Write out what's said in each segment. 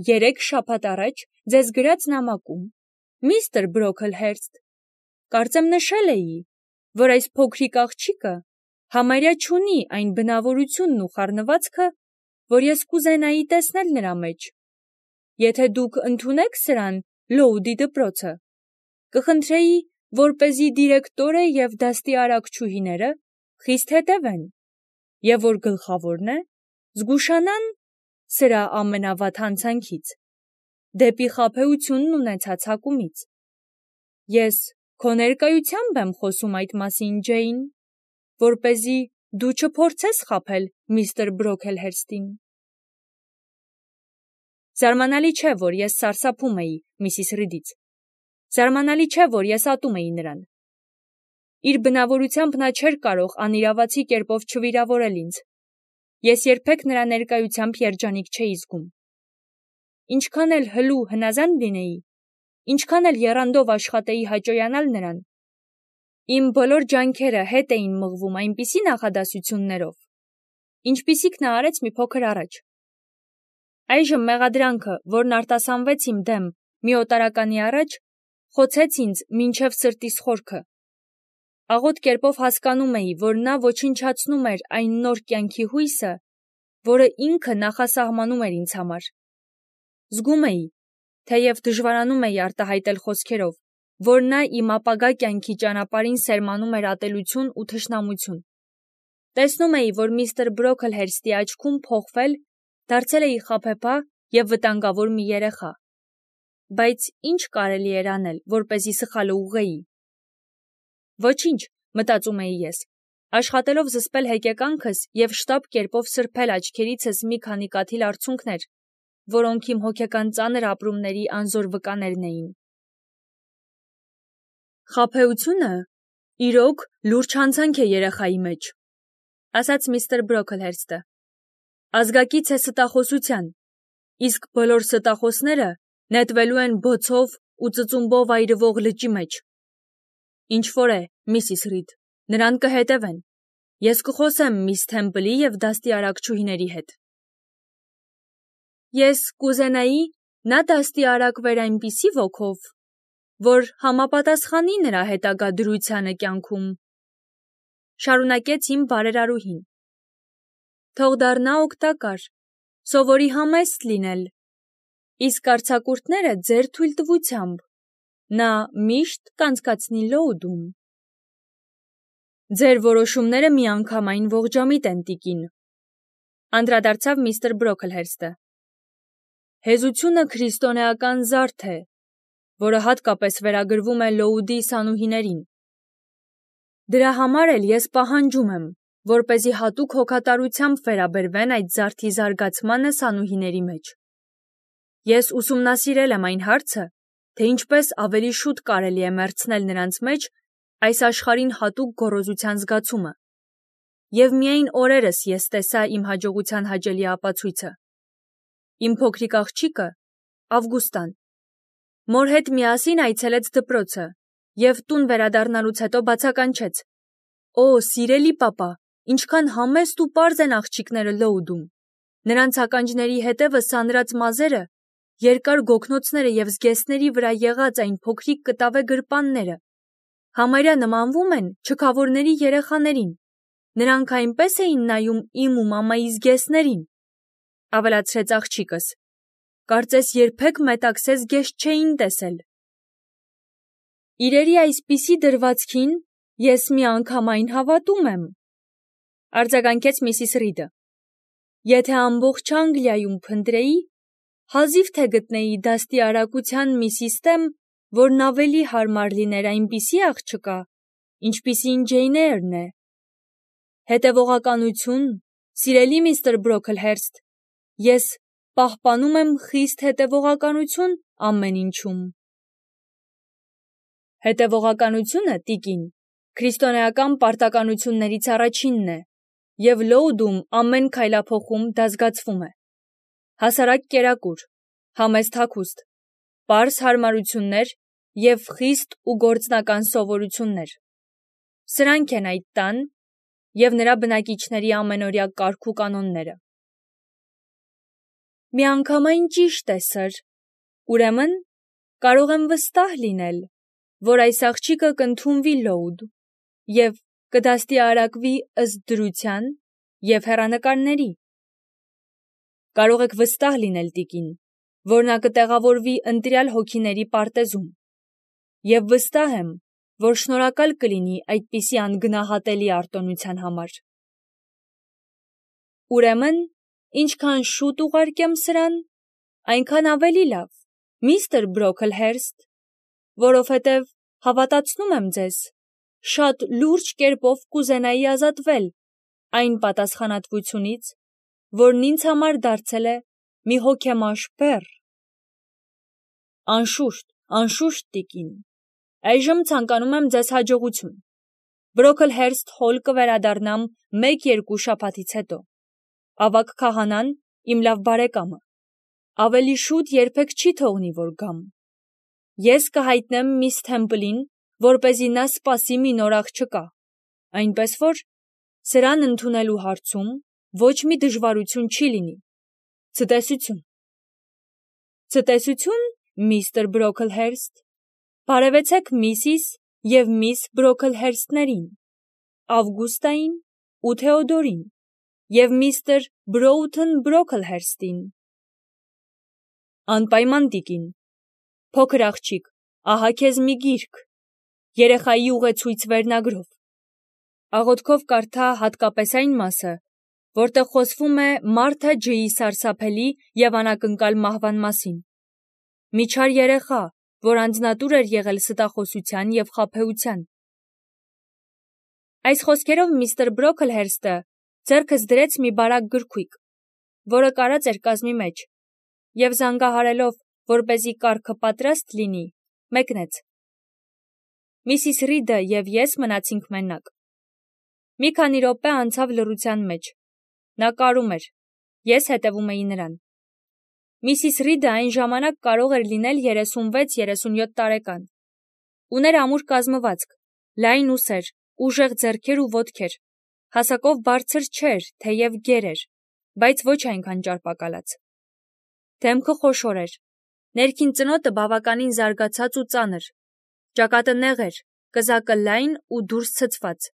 3 շաբաթ առաջ ձեզ գրած նամակում, միստր Բրոքլհերստ, կարծեմ նշել էի, որ այս փոքրիկ աղջիկը համարյա չունի այն բնավորությունն ու խառնվածքը, որ ես կուզենայի տեսնել նրա մեջ։ Եթե դուք ընդունեք սրան Լոուդի դպրոցը, կխնդրեի, որպեսզի դիրեկտորը և դաստի արակչուհիները խիստ հետևեն, և որ գլխավորն է, զգուշանան սրա ամենավատ հանցանքից, դեպի խաբեությունն ունեցած հակումից։ Ես քո ներկայությամբ եմ խոսում այդ մասին, Ջեյն, որպեսզի դու չփորձես խաբել միստր Բրոքլհերստին։ Զարմանալի չէ, որ ես սարսափում էի Միսիս Ռիդից։ Զարմանալի չէ, որ ես ատում էի նրան։ Իր բնավորությամբ նա չէր կարող անիրավացի կերպով չվիրավորել ինձ։ Ես երբեք նրա ներկայությամբ երջանիկ չէի զգում։ Ինչքան էլ հլու հնազանդ լինեի, ինչքան էլ եռանդով աշխատեի հաճոյանալ նրան, իմ բոլոր ջանքերը հետ էին մղվում այնպիսի նախադասություններով, ինչպիսիք նա արեց մի փոքր առաջ։ Այժմ մեղադրանքը, որն արտասանվեց իմ դեմ մի օտարականի առաջ, խոցեց ինձ մինչև սրտիս խորքը։ Աղոտ կերպով հասկանում էի, որ նա ոչնչացնում էր այն նոր կյանքի հույսը, որը ինքը նախասահմանում էր ինձ համար։ Զգում էի, թեև դժվարանում էի արտահայտել խոսքերով, որ նա իմ ապագա կյանքի ճանապարհին սերմանում էր ատելություն ու թշնամություն։ Տեսնում էի, որ միստր Բրոքլհերստի աչքում փոխվել, դարձել էի խաբեբա և վտանգավոր մի երեխա։ Բայց ինչ կարելի էր անել, որպեսզի սխալը ուղղեի։ Ոչինչ, մտածում էի ես, աշխատելով զսպել հեկեկանքս և շտապ կերպով սրբել աչքերիցս մի քանի կաթիլ արցունքներ, որոնք իմ հոգեկան ծանր ապրումների անզոր վկաներն էին։ Խաբեությունը իրոք լուրջ հանցանք է երեխայի մեջ, ասաց միստր Բրոքլհերստը։ Ազգակից է ստախոսության, իսկ բոլոր ստախոսները նետվելու են բոցով ու ծծումբով այրվող լճի մեջ։ Ինչ որ է, Միսիս Ռիդ, նրան կհետևեն։ Ես կխոսեմ միս Թեմպլի և դաստի արակչուհիների հետ։ Ես կուզենայի նա դաստի արակվեր այնպիսի ոգով, որ համապատասխանի նրա հետագա դրությանը կյանքում, շարունակեց իմ բարերարուհին։ Թող դառնա օգտակար, սովորի համեստ լինել, իսկ արձակուրդները ձեր թույլտվությամբ նա միշտ կանցկացնի Լոուդում։ Ձեր որոշումները միանգամայն ողջամիտ են, տիկին, անդրադարձավ միստր Բրոքլհերստը։ Հեզությունը քրիստոնեական զարդ է, որը հատկապես վերագրվում է Լոուդի սանուհիներին։ Դրա համար էլ ես պահանջում եմ, որպեսզի հատուկ հոգատարությամբ վերաբերվեն այդ զարդի զարգացմանը սանուհիների մեջ։ Ես ուսումնասիրել եմ այն հարցը, թե ինչպես ավելի շուտ կարելի է մեռցնել նրանց մեջ այս աշխարհին հատուկ գոռոզության զգացումը, և միայն օրերս ես տեսա իմ հաջողության հաճելի ապացույցը։ Իմ փոքրիկ աղջիկը, Ավգուստան, մոր հետ միասին այցելեց դպրոցը և տուն վերադառնալուց հետո բացականչեց. «Օ, սիրելի պապա, ինչքան համեստ ու պարզ են աղջիկները Լոուդում։ Նրանց ականջների հետևը սանրած մազերը, երկար գոգնոցները և զգեստների վրա եղած այն փոքրիկ կտավե գրպանները համարյա նմանվում են չքավորների երեխաներին։ Նրանք այնպես էին նայում իմ ու մամայի զգեստներին», ավելացրեց աղջիկս։ Կարծես երբեք մետաքսե զգեստ չէին տեսել։ Իրերի այսպիսի դրվածքին ես միանգամայն հավատում եմ, արձագանքեց Միսիս Ռիդը։ Եթե ամբողջ Անգլիայում փնտրեի, հազիվ թե գտնեի դաստի արակության մի սիստեմ, որն ավելի հարմար լիներ այնպիսի աղջկա, ինչպիսին Ջեյն Էյրն է։ Հետևողականություն, սիրելի միստր Բրոքլհերստ, ես պահպանում եմ խիստ հետևողականություն ամեն ինչում։ Հետևողականությունը, տիկին, քրիստոնեական պարտականություններից առաջինն է, և Լոուդում ամեն քայլափոխում դա զգացվում է։ Հասարակ կերակուր, համեստ հագուստ, պարզ հարմարություններ և խիստ ու գործնական սովորություններ։ Սրանք են այդ տան և նրա բնակիչների ամենօրյա կարգ ու կանոնները։ Միանգամայն ճիշտ է, սըր։ Ուրեմն, կարող եմ վստահ լինել, որ այս աղջիկը կընդունվի լոուդ և կդաստիարակվի ըստ դրության և հեռանկարների։ Կարող եք վստահ լինել, տիկին, որ նա կտեղավորվի ընտրյալ հոգիների պարտեզում, և վստահ եմ, որ շնորհակալ կլինի այդպիսի անգնահատելի արտոնության համար։ Ուրեմն, ինչքան շուտ ուղարկեմ սրան, այնքան ավելի լավ, միստր Բրոքլհերստ, որովհետև, հավատացնում եմ ձեզ, շատ լուրջ կերպով կուզենայի ազատվել այն պատասխանատվությունից, որն ինձ համար դարձել է մի հոգեմաշ բեռ։ Անշուշտ, տիկին, այժմ ցանկանում եմ ձեզ հաջողություն։ Բրոքլհերստ Հոլ կվերադառնամ 1-2 շաբաթից հետո։ Ավագ քահանան իմ լավ բարեկամը, ավելի շուտ երբեք չի թողնի, որ գամ։ Ես կհայտնեմ միս Թեմպլին, որպեսզի նա սպասի մի նոր աղջկա, այնպես որ սրան ընդունելու հարցում ոչ մի դժվարություն չի լինի։ Ցտեսություն։ Ցտեսություն, միստր Բրոքլհերստ։ Բարևեցեք միսիս և միս Բրոքլհերստներին, Ավգուստային ու Թեոդորին և միստր Բրոութն Բրոքլհերստին։ Անպայման, տիկին։ Փոքր աղջիկ, ահա քեզ մի գիրք, երեխայի ուղեցույց վերնագրով։ Աղոթքով կարդա հատկապես այն մասը, որտեղ խոսվում է Մարթա Ջեի սարսափելի և անակնկալ մահվան մասին։ Մի չար երեխա, որ անձնատուր էր եղել ստախոսության և խաբեության։ Այս խոսքերով միստր Բրոքլհերստը ձեռքս դրեց մի բարակ գրքույկ, որը կարած էր կազմի մեջ, և զանգահարելով, որպեսզի կառքը պատրաստ լինի, մեկնեց։ Միսիս Ռիդը և ես մնացինք մենակ։ Մի քանի րոպե անցավ լռության մեջ։ Նա կարում էր, ես հետևում էի նրան։ Միսիս Ռիդը այն ժամանակ կարող էր լինել 36-37 տարեկան։ Ուներ ամուր կազմվածք, լայն ուսեր, ուժեղ ձեռքեր ու ոտքեր, հասակով բարձր չէր, թեև գեր էր, բայց ոչ այնքան ճարպակալած։ Դեմքը խոշոր էր, ներքին ծնոտը բավականին զարգացած ու ծանր, ճակատը նեղ էր, կզակը լայն ու դուրս ցցված,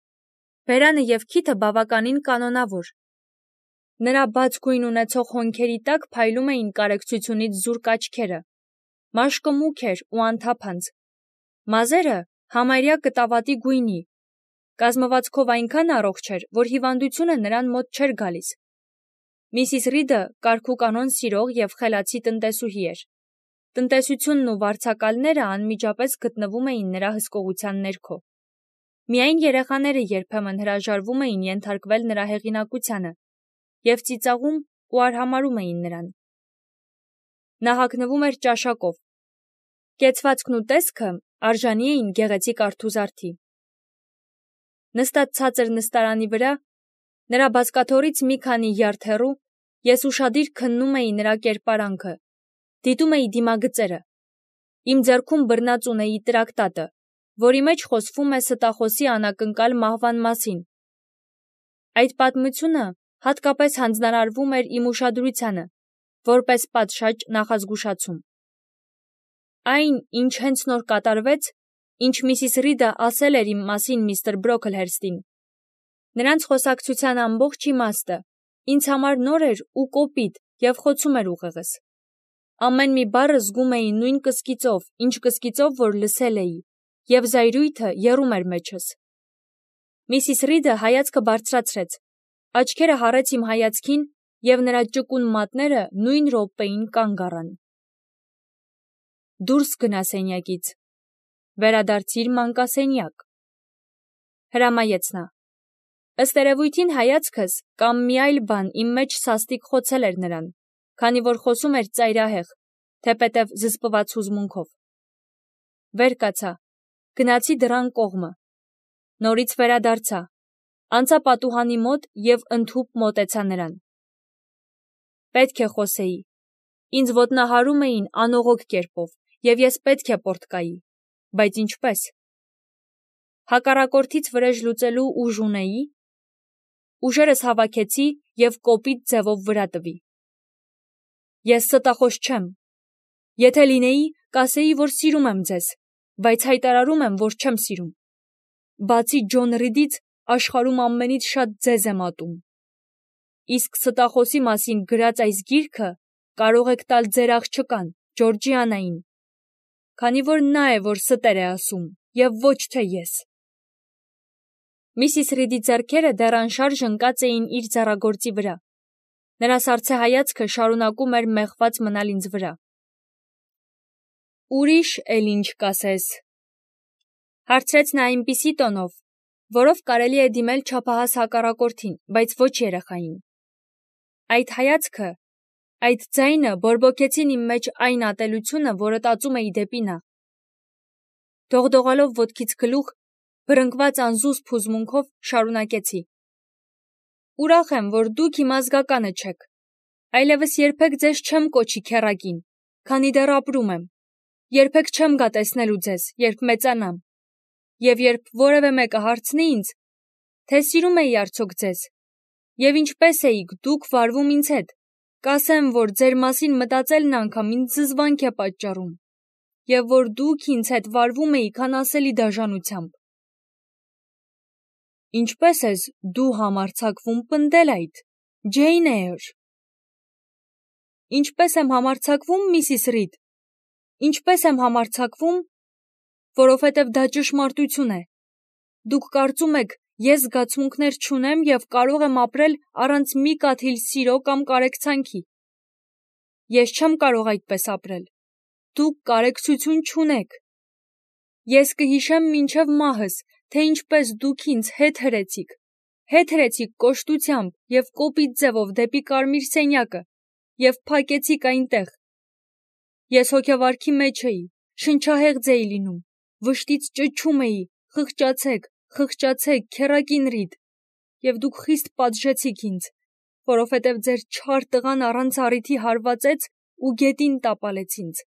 բերանը և քիթը բավականին կանոնավոր։ Նրա բաց գույն ունեցող հոնքերի տակ փայլում էին կարեկցությունից զուրկ աչքերը, մաշկը մուգ էր ու անթափանց, մազերը համարյա կտավատի գույնի, կազմվածքով այնքան առողջ էր, որ հիվանդությունը նրան մոտ չէր գալիս։ Միսիս Ռիդը կարգուկանոն սիրող և խելացի տնտեսուհի էր։ Տնտեսությունն ու վարձակալները անմիջապես գտնվում էին նրա հսկողության ներքո։ Միայն երեխաները երբեմն հրաժարվում էին ենթարկվել նրա հեղինակությանը և ծիծաղում ու արհամարհում էին նրան։ Նա հագնվում էր ճաշակով։ Կեցվածքն ու տեսքը արժանի էին գեղեցիկ արթուզարդի։ Նստած ցածր նստարանի վրա, նրա բազկաթոռից մի քանի յարդ հեռու, ես ուշադիր քննում էի նրա կերպարանքը, դիտում էի դիմագծերը։ Իմ ձեռքում բռնած ունեի տրակտատը, որի մեջ խոսվում է ստախոսի անակնկալ մահվան մասին։ Այդ պատմությունը հատկապես հանձնարարվում էր իմ ուշադրությանը, որպես պատշաճ նախազգուշացում։ Այն, ինչ հենց նոր կատարվեց, ինչ միսիս Ռիդը ասել էր իմ մասին միստր Բրոքլհերստին, նրանց խոսակցության ամբողջ իմաստը ինձ համար նոր էր ու կոպիտ և խոցում էր ուղեղս։ Ամեն մի բառը զգում էի նույն կսկիծով, ինչ կսկիծով, որ լսել էի, և զայրույթը եռում էր մեջս։ Միսիս Ռիդը հայացքը բարձրացրեց, աչքերը հառեց իմ հայացքին, և նրա ճկուն մատները նույն րոպեին կանգ առան։ Դուրս գնա սենյակից, վերադարձիր մանկասենյակ, հրամայեց նա։ Ըստ երևույթին հայացքս կամ մի այլ բան իմ մեջ սաստիկ խոցել էր նրան, քանի որ խոսում էր ծայրահեղ, թեպետև զսպված հուզմունքով։ Վեր կացա, գնացի դռան կողմը, նորից վերադարձա, անցա պատուհանի մոտ և ընդհուպ մոտեցա նրան։ Պետք է խոսեի, ինձ ոտնահարում էին անողոք կերպով, և ես պետք է պոռթկայի, բայց ինչպե՞ս։ Հակառակորդից վրեժ լուծելու ուժ ունեի։ Ուժերս հավաքեցի և կոպիտ ձևով վրա տվի։ Ես ստախոս չեմ։ Եթե լինեի, կասեի, որ սիրում եմ ձեզ, բայց հայտարարում եմ, որ չեմ սիրում։ Բացի Ջոն Ռիդից, աշխարհում ամենից շատ ձեզ եմ ատում։ Իսկ ստախոսի մասին գրած այս գիրքը կարող եք տալ ձեր աղջկան, Ջորջիանային, քանի որ նա է, որ ստեր է ասում, եւ ոչ թե ես։ Միսիս Ռիդի ձեռքերը դեռ անշարժ ընկած էին իր ձեռագործի վրա։ Նրա սառցե հայացքը շարունակում էր մեղված մնալ ինձ վրա։ Ուրիշ էլ ինչ կասես, հարցրեց նա այնպիսի տոնով, որով կարելի է դիմել չափահաս հակառակորդին, բայց ոչ երեխային։ Այդ հայացքը, այդ ձայնը բորբոքեցին իմ մեջ այն ատելությունը, որը տածում էի դեպի նա։ Դողդողալով ոտքից գլուխ, բռնկված անզուսպ հուզմունքով շարունակեցի. Ուրախ եմ, որ դուք իմ ազգականը չեք։ Այլևս երբեք ձեզ չեմ կոչի քեռակին, քանի դեռ ապրում եմ։ Երբեք չեմ գա տեսնելու ձեզ, երբ մեծանամ։ Եվ երբ որևէ մեկը հարցնի ինձ, թե սիրում էի արդյոք ձեզ, եւ ինչպես էիք դուք վարվում ինձ հետ, կասեմ, որ ձեր մասին մտածելն անգամ ինձ զզվանք է պատճառում, եւ որ դուք ինձ հետ վարվում էիք անասելի դաժանությամբ։ Ինչպես ես դու համարձակվում պնդել այդ, Ջեյն Էյր։ Ինչպես եմ համարձակվում, Միսիս Ռիդ։ Ինչպես եմ համարձակվում, որովհետև դա ճշմարտություն է։ Դուք կարծում եք, ես զգացմունքներ չունեմ եւ կարող եմ ապրել առանց մի կաթիլ սիրո կամ կարեկցանքի։ Ես չեմ կարող այդպես ապրել։ Դուք կարեկցություն չունեք։ Ես կհիշեմ մինչև մահս, թե ինչպես դուք ինձ հետ հրեցիք կոշտությամբ եւ կոպիտ ձևով դեպի կարմիր սենյակը եւ փակեցիք այնտեղ։ Ես հոգեվարքի մեջ էի, շնչահեղձ էի լինում, վշտից ճչում էի. խղճացեք, քեռակին Ռիդ, եւ դուք խիստ պատժեցիք ինձ, որովհետև ձեր չար տղան առանց առիթի հարվածեց ու գետին տապալեց ինձ։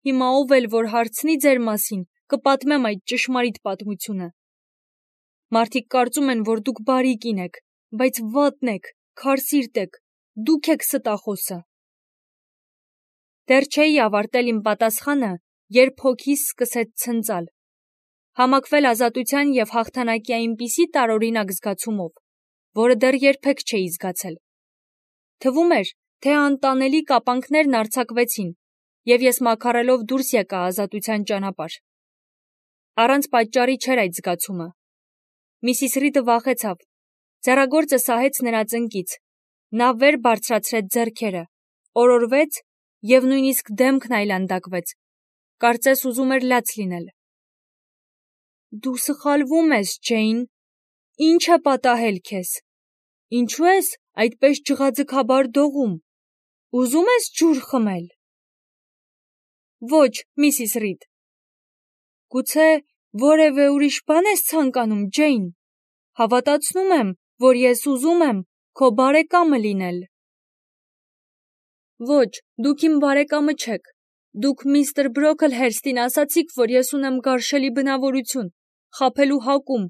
Հիմա ով էլ որ հարցնի ձեր մասին, կպատմեմ այդ ճշմարիտ պատմությունը։ Մարդիկ կարծում են, որ դուք բարի կին եք, բայց վատն եք, քարսիրտ եք, դուք եք ստախոսը։ Դեռ չէի ավարտել իմ պատասխանը, երբ հոգիս սկսեց ցնծալ, համակվել ազատության եւ հաղթանակի այնպիսի տարօրինակ զգացումով, որը դեռ երբեք չէի զգացել։ Թվում էր, թե անտանելի կապանքներն արձակվեցին, եւ ես մաքարելով դուրս եկա ազատության ճանապարհ։ Առանց պատճառի չէր այդ զգացումը։ Միսիս Ռիդը վախեցավ, ձեռագործը սահեց նրա ծնկից, նա վեր բարձրացրեց ձեռքերը, օրորվեց եւ նույնիսկ դեմքն այլանդակվեց, կարծես ուզում էր լաց լինել։ Դու սխալվում ես, Ջեյն, ինչ է պատահել քեզ, ինչու ես այդպես ջղաձգաբար դողում, ուզում ես ջուր խմել։ Ոչ, Միսիս Ռիդ։ Գուցե որևէ ուրիշ բան ես ցանկանում, Ջեյն, հավատացնում եմ, որ ես ուզում եմ քո բարեկամը լինել։ Ոչ, դուք իմ բարեկամը չեք, դուք միստր Բրոքլհերստին ասացիք, որ ես ունեմ գարշելի բնավորություն, խաբելու հակում,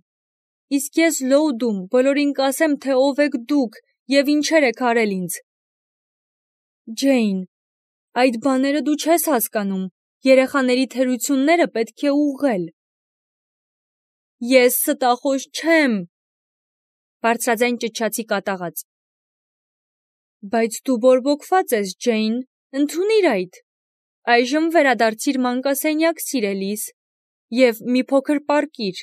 իսկ ես լոուդում բոլորին կասեմ, թե ով եք դուք եւ ինչեր եք արել ինձ։ Ջեյն, այդ բաները դու չես հասկանում, երեխաների թերությունները պետք է ուղղել։ Ես ստախոս չեմ, բարձրաձայն ճչացի կատաղած։ Բայց դու բորբոքված ես, Ջեյն, ընդունիր այդ։ Այժմ վերադարձիր մանկասենյակ, սիրելիս, եւ մի փոքր պառկիր։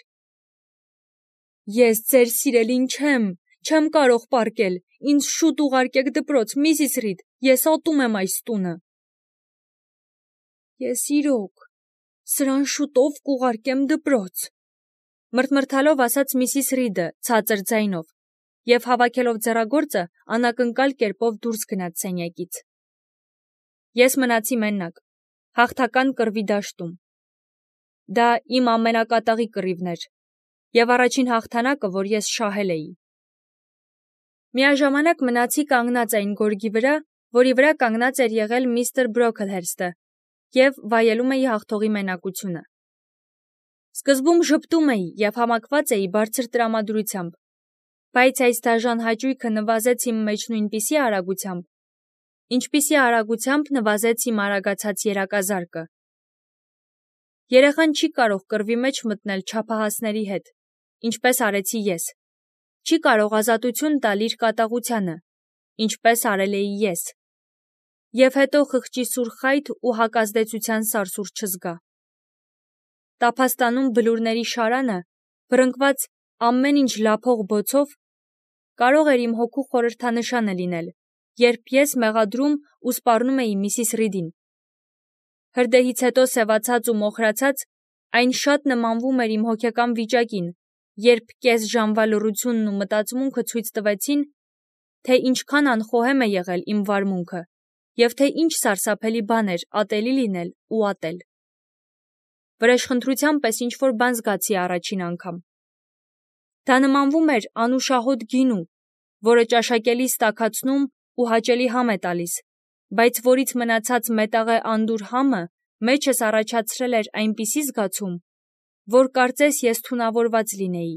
Ես ձեր սիրելին չեմ կարող պառկել, ինձ շուտ ուղարկեք դպրոց, Միսիս Ռիդ, ես ատում եմ այս տունը։ Ես իրոք, սրան շուտով կուղարկեմ դպրոց, մրթմրթալով ասաց Միսիս Ռիդը ցածր ձայնով, եւ հավաքելով ձեռագործը անակնկալ կերպով դուրս գնաց սենյակից։ Ես մնացի մենակ, հաղթական կռվի դաշտում։ Դա իմ ամենակատաղի կռիվն էր, եւ առաջին հաղթանակը, որ ես շահել էի։ Միաժամանակ մնացի կանգնած այն գորգի վրա, որի վրա կանգնած էր եղել միստր Բրոքլհերստը, եւ վայելում էի հաղթողի մենակությունը։ Սկզբում ժպտում էի եւ համակված էի բարձր տրամադրությամբ, բայց այս դաժան հաճույքը նվազեց իմ մեջ նույնպիսի արագությամբ, Ինչպիսի արագությամբ նվազեց իմ արագացած երակազարկը։ Երեխան չի կարող կռվի մեջ մտնել չափահասների հետ, ինչպես արեցի ես։ Չի կարող ազատություն տալ իր կատաղությանը, ինչպես արել էի ես։ Եվ հետո խղճի սուր խայթ ու հակազդեցության սարսուռ չզգա։ Տափաստանում բլուրների շարանը, բռնկված ամեն ինչ լափող բոցով, կարող էր իմ հոգու խորհրդանշանը լինել, երբ ես մեղադրում ու սպառնում էի Միսիս Ռիդին։ Հրդեհից հետո սևացած ու մոխրացած, այն շատ նմանվում էր իմ հոգեկան վիճակին, երբ կես ժամվա լռությունն ու մտածմունքը ցույց տվեցին, թե ինչքան անխոհեմ է եղել իմ վարմունքը, և թե ինչ սարսափելի բան էր ատելի լինել ու ատել։ Վրեժխնդրության պես ինչ-որ բան զգացի առաջին անգամ։ Դա նմանվում էր անուշահոտ գինու, որը ճաշակելիս տաքացնում ու հաճելի համ է տալիս, բայց որից մնացած մետաղե անդուր համը մեջս առաջացրել էր այնպիսի զգացում, որ կարծես ես թունավորված լինեի։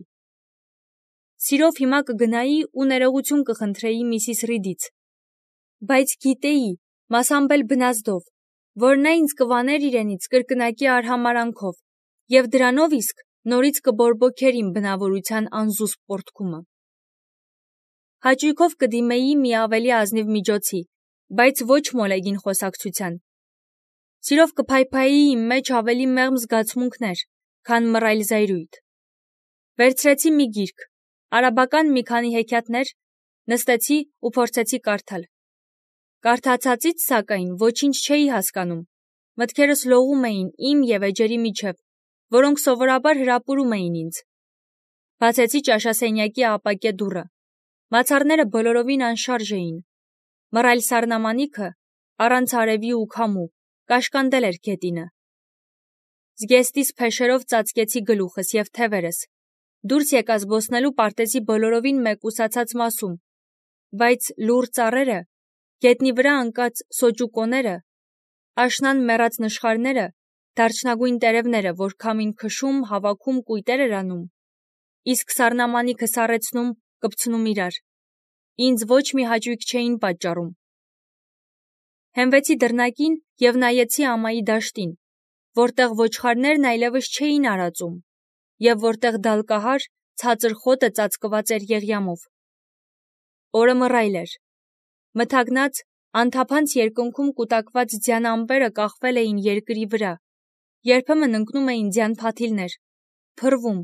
Սիրով հիմա կգնայի ու ներողություն կխնդրեի Միսիս Ռիդից, բայց գիտեի, մասամբ էլ բնազդով, որ նա ինձ կվաներ իրենից կրկնակի արհամարհանքով, և դրանով իսկ նորից կբորբոքեր իմ բնավորության անզուսպ պոռթկումը։ Հաճույքով կդիմեի մի ավելի ազնիվ միջոցի, բայց ոչ մոլեգին խոսակցության։ Սիրով կփայփայի իմ մեջ ավելի մեղմ զգացմունքներ, քան մռայլ զայրույթ։ Վերցրեցի մի գիրք, արաբական մի քանի հեքիաթներ, նստեցի ու փորձեցի կարդալ։ Կարդացածից, սակայն, ոչինչ չէի հասկանում, մտքերս լողում էին իմ և էջերի միջև, որոնք սովորաբար հրապուրում էին ինձ։ Բացեցի ճաշասենյակի ապակե դուռը։ Մացառները բոլորովին անշարժ էին։ Մռայլ սառնամանիքը, առանց արևի ու քամու, կաշկանդել էր գետինը։ Զգեստիս փեշերով ծածկեցի գլուխս և թևերս, դուրս եկա զբոսնելու պարտեզի բոլորովին մեկուսացած մասում, բայց լուռ ծառերը, գետնի վրա ընկած սոճուկոները, աշնան մեռած նշխարները, դարչնագույն տերևները, որ քամին քշում, հավաքում կույտեր էր անում, իսկ սառնամանիքը սառեցնում, կպցնում իրար, ինձ ոչ մի հաճույք չէին պատճառում։ Հենվեցի դռնակին և նայեցի ամայի դաշտին, որտեղ ոչխարներն այլևս չէին արածում, և որտեղ դալկահար, ցածր խոտը ծածկված էր եղյամով։ Օրը մռայլ էր։ Մթագնած, անթափանց երկնքում կուտակված ձյան ամպերը կախվել էին երկրի վրա, երբեմն ընկնում էին ձյան փաթիլներ, փռվում,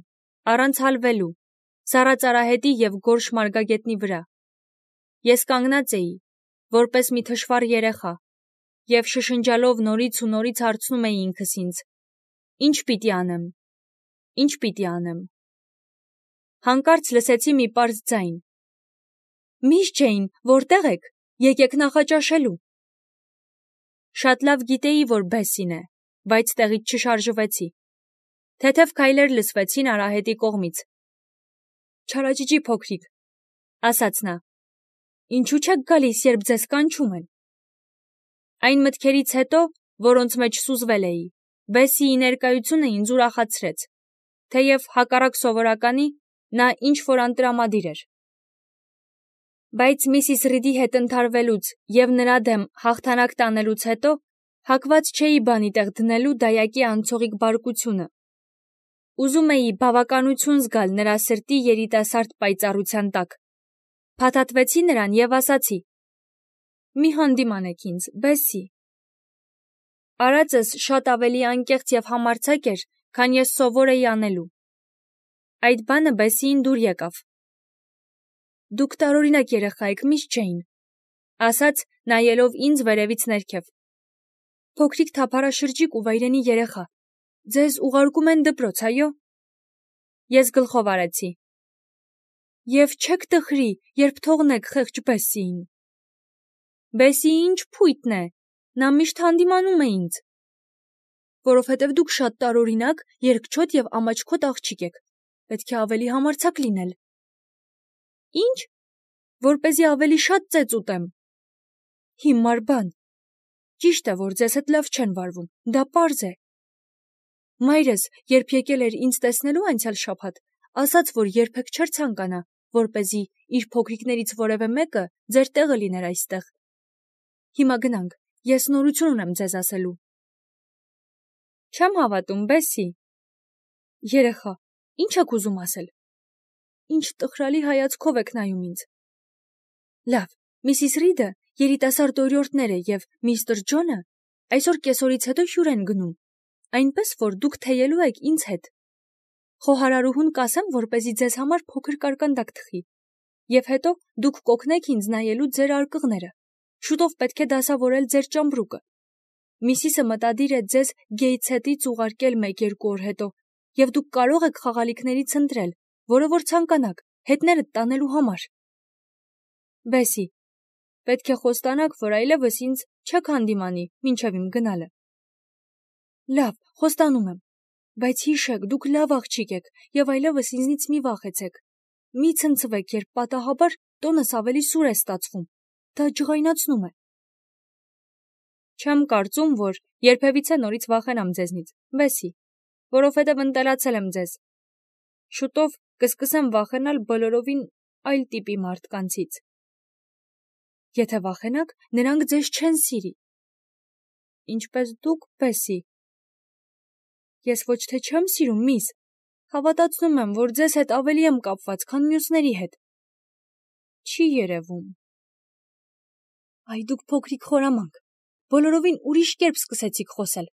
առանց հալվելու, սառած արահետի և գորշ մարգագետնի վրա։ Ես կանգնած էի, որպես մի թշվառ երեխա, և շշնջալով նորից ու նորից հարցնում էի ինքս ինձ. «Ի՞նչ պիտի անեմ, ի՞նչ պիտի անեմ»։ Հանկարծ լսեցի մի պարզ ձայն. «Միս Ջեյն, որտե՞ղ եք, եկեք նախաճաշելու»։ Շատ լավ գիտեի, որ Բեսսին է, բայց տեղից չշարժվեցի։ Թեթև քայլեր լսվեցին արահետի կողմից։ «Չարաճճի փոքրիկ», ասաց նա, «ինչու չեք գալիս, երբ ձեզ կանչում են»։ Այն մտքերից հետո, որոնց մեջ սուզվել էի, Բեսսիի ներկայությունը ինձ ուրախացրեց, թեև հակառակ սովորականի, նա ինչ-որ անտրամադիր էր։ Բայց Միսիս Ռիդի հետ ընդհարվելուց և նրա դեմ հաղթանակ տանելուց հետո հակված չէի բանի տեղ դնելու դայակի անցողիկ բարկությունը։ Ուզում էի բավականություն զգալ նրա սրտի երիտասարդ պայծառության տակ։ Փաթաթվեցի նրան և ասացի. «Մի հանդիմանեք ինձ, Բեսսի»։ Արածս շատ ավելի անկեղծ և համարձակ էր, քան ես սովոր էի անելու։ Այդ բանը Բեսսիին դուր եկավ։ «Դուք տարօրինակ երեխա եք, միս Ջեյն», ասաց, նայելով ինձ վերևից ներքև։ «Փոքրիկ թափառաշրջիկ ու վայրենի երեխա, ձեզ ուղարկում են դպրոց, այո»։ Ես գլխով արեցի։ «Եվ չեք տխրի, երբ թողնեք խեղճ Բեսսիին»։ Բեսսիի ինչ փույթն է, նա միշտ հանդիմանում է ինձ։ Որովհետև դուք շատ տարօրինակ, երկչոտ և ամաչկոտ աղջիկ եք, պետք է ավելի համարձակ լինել։ Ինչ, որպեսզի ավելի շատ ծեծ ուտեմ։ Հիմար բան։ Ճիշտ է, որ ձեզ հետ լավ չեն վարվում, դա պարզ է։ Մայրս, երբ եկել էր ինձ տեսնելու անցյալ շաբաթ, ասաց, որ երբեք չէր ցանկանա, որպեսզի իր փոքրիկներից որևէ մեկը ձեր տեղը լիներ այստեղ։ Հիմա գնանք, ես նորություն ունեմ ձեզ ասելու։ Չեմ հավատում, Բեսի։ Երեխա, ինչ եք ուզում ասել։ Ինչ տխրալի հայացքով եք նայում ինձ։ Լավ, Միսիս Ռիդը երիտասարդ օրիորդներ է և միստր Ջոնը այսօր կեսօրից հետո հյուր են գնում, այնպես որ դուք թեյելու եք ինձ հետ։ Խոհարարուհուն կասեմ, որպեսզի ձեզ համար փոքր կարկանդակ թխի, և հետո դուք կօգնեք ինձ նայելու ձեր արկղները։ Շուտով պետք է դասավորել ձեր ճամբրուկը։ Միսիսը մտադիր է ձեզ Գեյթսհեթից ուղարկել 1-2 օր հետո, և դուք կարող եք խաղալիքներից ընտրել, որը որ ցանկանաք, հետներդ տանելու համար։ Բեսի, պետք է խոստանաք, որ այլևս ինձ չեք հանդիմանի մինչև իմ գնալը։ Լավ, խոստանում եմ, բայց հիշեք, դուք լավ աղջիկ եք և այլևս ինձնից մի վախեցեք։ Մի ցնցվեք, երբ պատահաբար տոնս ավելի սուր է ստացվում։ Դա ջղայնացնում է։ Չեմ կարծում, որ երբևիցե նորից վախենամ ձեզնից, Բեսի, որովհետև ընտելացել եմ ձեզ։ Շուտով կսկսեմ վախենալ բոլորովին այլ տիպի մարդկանցից։ Եթե վախենաք, նրանք ձեզ չեն սիրի։ Ինչպես դուք, Բեսի։ Ես ոչ թե չեմ սիրում, միս, հավատացնում եմ, որ ձեզ հետ ավելի եմ կապված, քան մյուսների հետ։ Չի երևում։ Այ դուք փոքրիկ խորամանկ, բոլորովին ուրիշ կերպ սկսեցիք խոսել։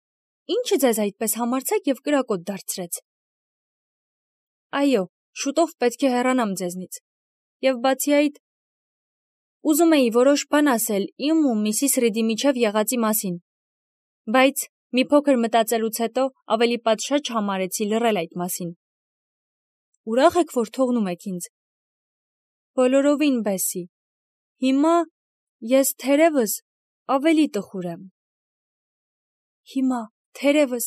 Ինչը ձեզ այդպես համարձակ և կրակոտ դարձրեց։ Այո, շուտով պետք է հեռանամ ձեզնից։ Եվ բացի այդ, ուզում էի որոշ բան ասել իմ ու Միսիս Ռիդի միջև եղածի մասին, բայց մի փոքր մտածելուց հետո ավելի պատշաճ համարեցի լռել այդ մասին։ Ուրախ եք, որ թողնում եք ինձ։ Բոլորովին, Բեսի։ Հիմա ես թերևս ավելի տխուր եմ։ Հիմա թերևս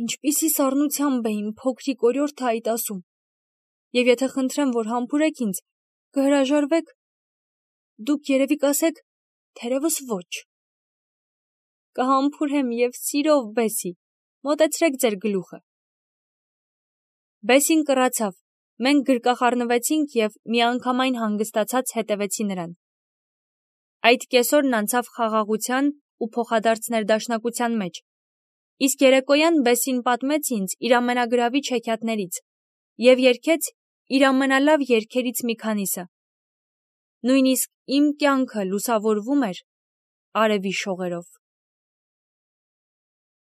ինչպիսի սառնությամբ է իմ փոքրիկ օրիորդը այդ ասում։ Եվ եթե խնդրեմ, որ համբուրեք ինձ, կհրաժարվեք, դուք երևի կասեք, թերևս ոչ։ Կհամբուրեմ և սիրով, Բեսի, մոտեցրեք ձեր գլուխը։ Բեսին կռացավ, մենք գրկախառնվեցինք և միանգամայն հանգստացած հետևեցի նրան։ Այդ կեսօրն անցավ խաղաղության ու փոխադարձ ներդաշնակության մեջ, իսկ երեկոյան Բեսին պատմեց ինձ իր ամենագրավիչ հեքիաթներից և երգեց իր ամենալավ երգերից մի քանիսը։ Նույնիսկ իմ կյանքը լուսավորվում էր արևի շողերով։